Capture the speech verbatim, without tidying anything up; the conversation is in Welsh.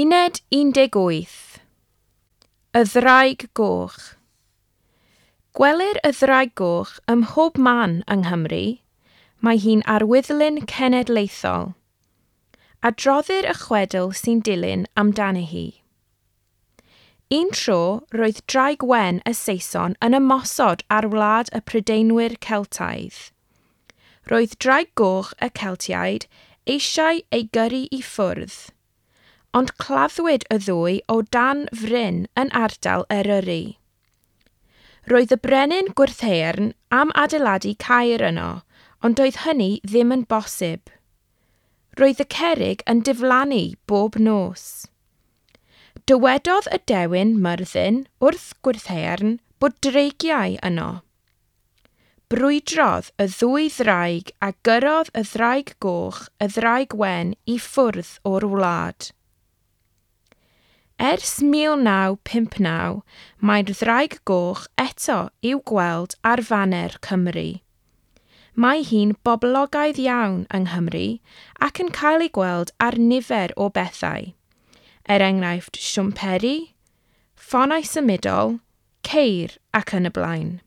Uned un deg wyth. Y Ddraig Goch. Gwelir y Ddraig Goch ym mhob man yng Nghymru. Mae hi'n arwyddlun cenedlaethol. Adroddir y chwedl sy'n dilyn amdani hi. Un tro, roedd Draig Wen y Saeson yn ymosod ar wlad y Prydeinwyr Celtaidd. Roedd Draig Goch y Celtiaid eisiau ei gyrru i ffwrdd, ond claddwyd y ddwy o dan fryn yn ardal Eryri. Roedd y brenin Gwrtheyrn am adeiladu caer yno, ond doedd hynny ddim yn bosib. Roedd y cerrig yn diflannu bob nos. Dywedodd y dewin Myrddin wrth Gwrtheyrn bod dreigiau yno. Brwydrodd y ddwy ddraig a gyrrodd y Ddraig Goch y Ddraig Wen i ffwrdd o'r wlad. Ers mil naw pump naw, mae'r Ddraig Goch eto i'w gweld ar faner Cymru. Mae hi'n boblogaidd iawn yng Nghymru ac yn cael ei gweld ar nifer o bethau, er enghraifft siwmperi, ffonau symudol, ceir ac yn y blaen.